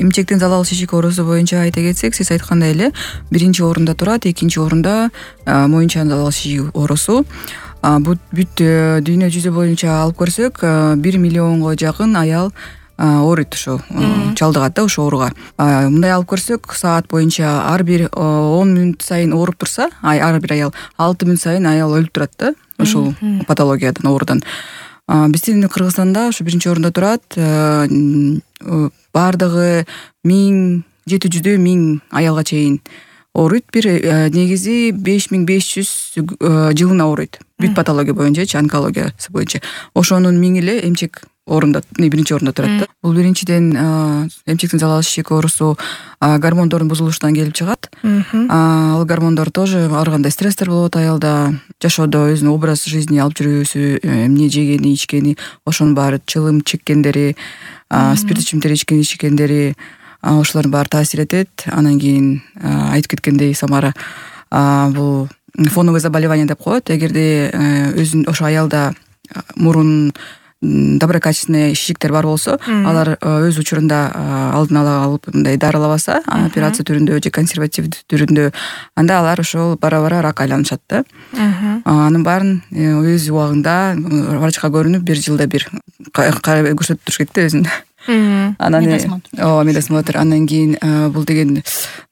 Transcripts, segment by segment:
эмчектин залал шишик оорусу боюнча айта кетсек, сиз айткандай эле биринчи орунда турат, экинчи орунда моюнчан залал шишик оорусу. Бүт дүйнө жүзү боюнча алып көрсөк 1 миллионго жакын аял ооруйт, ошо чалдыгат да ошол ооруга. Мындай алып көрсөк, саат боюнча ар бир 10 мүнөт сайын ооруп турса, ар бир аял 6 мүнөт сайын аял өлүп турат да ушул патологиядан, оорудан. Биздин Кыргызстанда ошо биринчи орунда турат. Бардыгы 700 аялга чейин ооруйт. Бир негизи 5500 жылына ооруйт. Бүт патология боюнча, онкологиясы боюнча. Ошонун 1000 эле эмчек орунда, биринчи орунда турат да. Бул биринчиден эмчектин залал шишик оорусу гормондордун бузулуштан келип чыгат. Ал гормондор тоже ар кандай стресстер болот аялда, жашоодо өзүнүн образ жизни алып жүрүүсү, эмне жегени, ичкени, ошонун баары, чылым чеккендери, спирт ичкендери, ошолордун баары таасир этет. Анан кийин айтып кеткендей Самара, бул фоновое заболевание деп коет. Эгерде өзүн ошо аялда мурун доброкачественный шишиктер бар болсо, алар өз учурунда алдын ала алып мындай дарылабаса, операция түрүндө же консервативдүү түрүндө, анда алар ошол бара-бара рак айланышат да. Анын баарын өз убагында врачка көрүнүп, 1 жылда бир көрсөтүп туруш керек да өзүн. Анан медосмотр. Анан кийин бул деген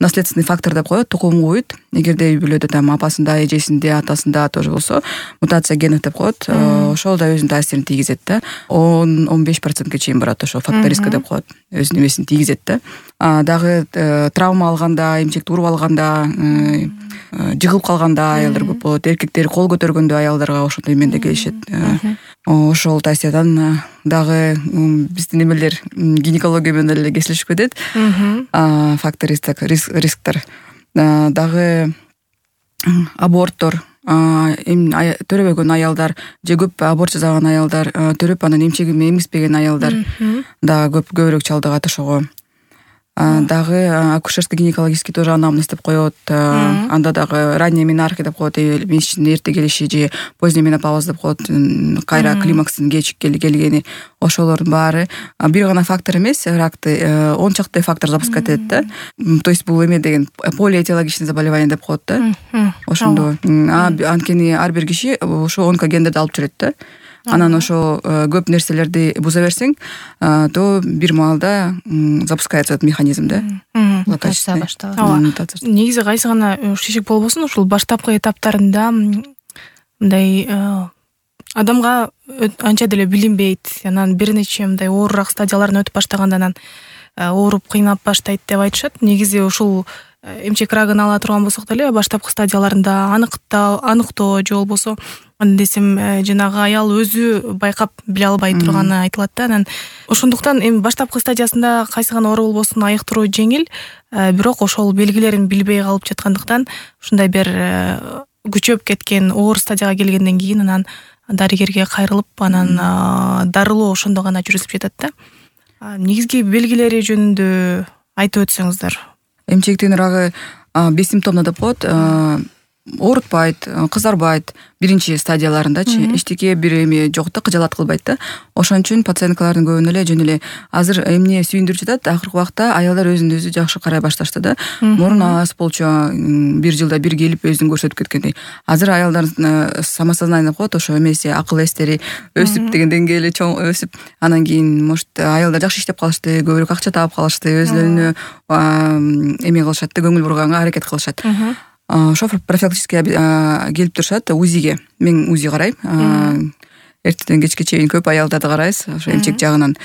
наследственный фактор деп коет, тукум куйт. Эгерде үй бүлөдө там апасында, эжесинде, атасында тоже болсо, мутация генов деп коет. Ошол да өзүнүн таасирин тийгизет да. 10-15% чейин барат, ошол фактор риска деп коет. Өзүнүн эмесин тийгизет да. Дагы травма алганда, эмчекти уруп алганда, жыгылып калганда аялдар көп болот. Эркектер кол көтөргөндө аялдарга ошондой менде келишет. Ошол таасирдан дагы биздин эмелер гинекология менен эле кесилишип кетет. Фактор рисктер. Дагы аборттор, төрөбөгөн аялдар же көп аборт жасаган аялдар, төрөп анан эмчеги эмгизбеген аялдар да көбүрөөк чалдыгат ошого. Дагы акушерский гинекологический тоже анамнез деп коет. Анда дагы ранняя менархия деп коет, месячтин эрте келиши же поздний менопауз деп коет, кайра климакстын кеч келгени. Ошолордун баары бир гана фактор эмес, ракты 10 чакты фактор запускать этет да. То есть бул эме деген полиэтиологичный заболевание деп коет да. Ошондо анткени ар бир киши ошо онкогендерди алып жүрөт да. Анан ошо көп нерселерди буза берсең, то бир маалда запускается этот механизм да. Мутация башталат. Негизи кайсы гана шишик болбосун, ушул баштапкы этаптарында мындай адамга анча деле билинбейт. Анан бир нече мындай оорураак стадияларын өтүп баштаганда анан ооруп кыйнап баштайт деп айтышат. Негизи ушул эмчек рагын ала турган болсок деле баштапкы стадияларында аныктоо же болбосо десем жанагы аял өзү байкап биле албай турганы айтылат да. Анан ошондуктан эми баштапкы стадиясында кайсы гана оору болбосун айыктыруу жеңил, бирок ошол белгилерин билбей калып жаткандыктан ушундай бир күчөп кеткен оор стадияга келгенден кийин анан дарыгерге кайрылып, анан дарылоо ошондо гана жүргүзүлүп жатат да. Негизги белгилери жөнүндө айтып өтсөңүздөр. Эмчектин рагы бессимптомно деп коет. Оорутпайт, кызарбайт биринчи стадияларындачы, эчтеке бир эме жок да, кыжалат кылбайт да. Ошон үчүн пациенткалардын көбүнө эле жөн эле азыр эмне сүйүндүрүп жатат, акыркы убакта аялдар өзүн өзү жакшы карай башташты да. Мурун аз болчу 1 жылда бир келип өзүн көрсөтүп кеткендей. Азыр аялдардын самосознание деп коет, ошо эмеси, акыл эстери өсүп деген деңгээли чоң өсүп, анан кийин может аялдар жакшы иштеп калышты, көбүрөөк акча таап калышты, өзлөрүнө эме кылышат да, көңүл бурганга аракет кылышат. Ошо профилактически келип турушат УЗИге. Мен УЗИ карайм. Эртеден кечке чейин көп аялдарды карайбыз, ошо эмчек жагынан.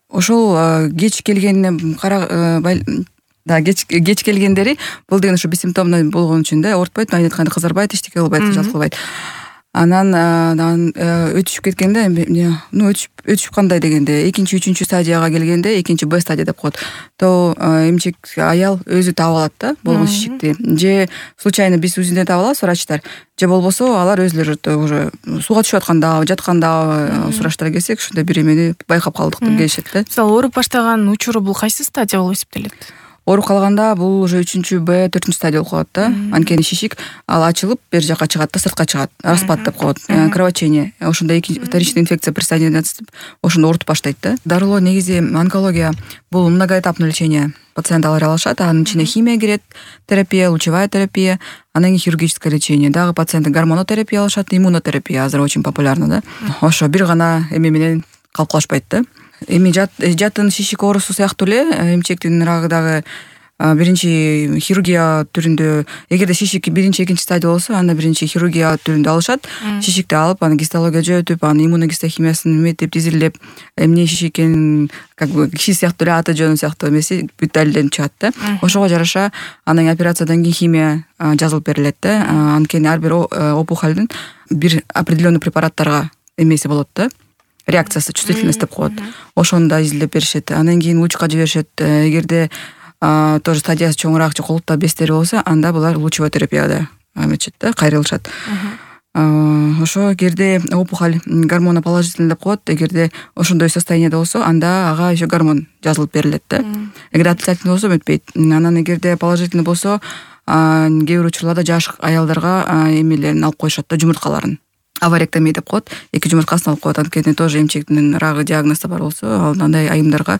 Ошол кеч келгенин кеч келгендери бул деген ошо бессимптомно болгон үчүн да, оорутпайт, айтканда кызарбайт, эчтеке кылбайт, жалт кылбайт. Анан өтүшүп кеткенде, өтүшүп кандай дегенде, экинчи, үчүнчү стадияга келгенде, экинчи Б стадия деп коет. То эмчек аял өзү таап алат да, болгон шишикти. Же случайно биз УЗИден таап алабыз, врачтар. Же болбосо алар өзлөрү уже сууга түшүп атканда, жатканда сураштыра келсек, ушундай бир эмени байкап калдык деп келишет да. Мисалы, ооруп баштаган учуру бул кайсы стадия болуп эсептелет? ооруп калганда бул уже 3-Б 4 стадия болуп калат да. Анткени шишик ал ачылып бер жака чыгат да, сыртка чыгат, распад деп коет, кровотечение. Ошондо вторичный инфекция присоединяться ошондо оорутуп баштайт да. Дарылоо негизи онкология бул многоэтапный лечение. Пациент алар алышат, анын ичине химия кирет, терапия, лучевая терапия, анан кийин хирургическое лечение. Дагы пациенттер гормонотерапия алышат, иммунотерапия азыр очень популярна да. Ошо бир гана эме менен калып калышпайт да. Эми жатын шишик оорусу сыяктуу эле эмчектин рагы дагы биринчи хирургия түрүндө, эгерде шишик биринчи, экинчи стадия болсо, анда биринчи хирургия түрүндө алышат. Шишикти алып, аны гистология жөөтүп, аны иммуногистохимиясын эметип, изилдеп, эмне шишик экенин как бы киши сыяктуу эле аты жөнү сыяктуу эмеси бүт далилденип чыгат да. Ошого жараша анан операциядан кийин химия жазылып берилет да. Анткени ар бир опухолдун бир определенный препараттарга эмеси болот да. Реакциясы, чувствительность деп коет. Ошону да изилдеп беришет. Анан кийин лучка жиберишет. Эгерде тоже стадиясы чоңураак же колуктаа бестери болсо, анда булар лучевой терапияда эметишет да, кайрылышат. Ошо эгерде опухоль гормоноположительный деп коет, эгерде ошондой состояниеде болсо, анда ага еще гормон жазылып берилет да. Эгерде отрицательный болсо өтпөйт. Анан эгерде положительный болсо, кээ бир учурларда жаш аялдарга эмелерин алып коюшат да, жумурткаларын. Аваректомия деп коет, 2 жумурткасын алып коет. Анткени тоже эмчектин рагы диагнозу бар болсо, андай айымдарга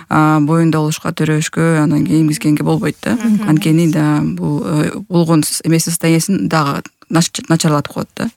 боюнда болушка, төрөбүшкө, анан кийин эмгизгенге болбойт да. Анткени да бул болгон эмеси состояниясын дагы начарлатып коет да.